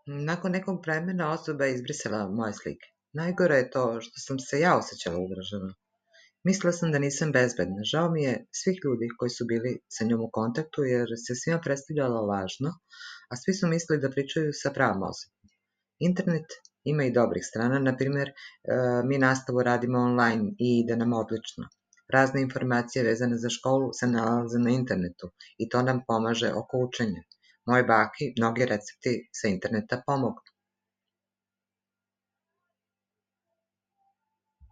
Nakon nekog vremena osoba je izbrisala moje slike. Najgore je to što sam se ja osjećala ugroženo. Mislila sam da nisam bezbedna. Žao mi je svih ljudi koji su bili sa njom u kontaktu jer se svima predstavljala lažno, a svi su mislili da pričaju sa pravom osobom. Internet ima i dobrih strana, na primjer, mi nastavu radimo online i ide nam odlično. Razne informacije vezane za školu se nalaze na internetu i to nam pomaže oko učenja. Moje baki mnogi recepti sa interneta pomognu.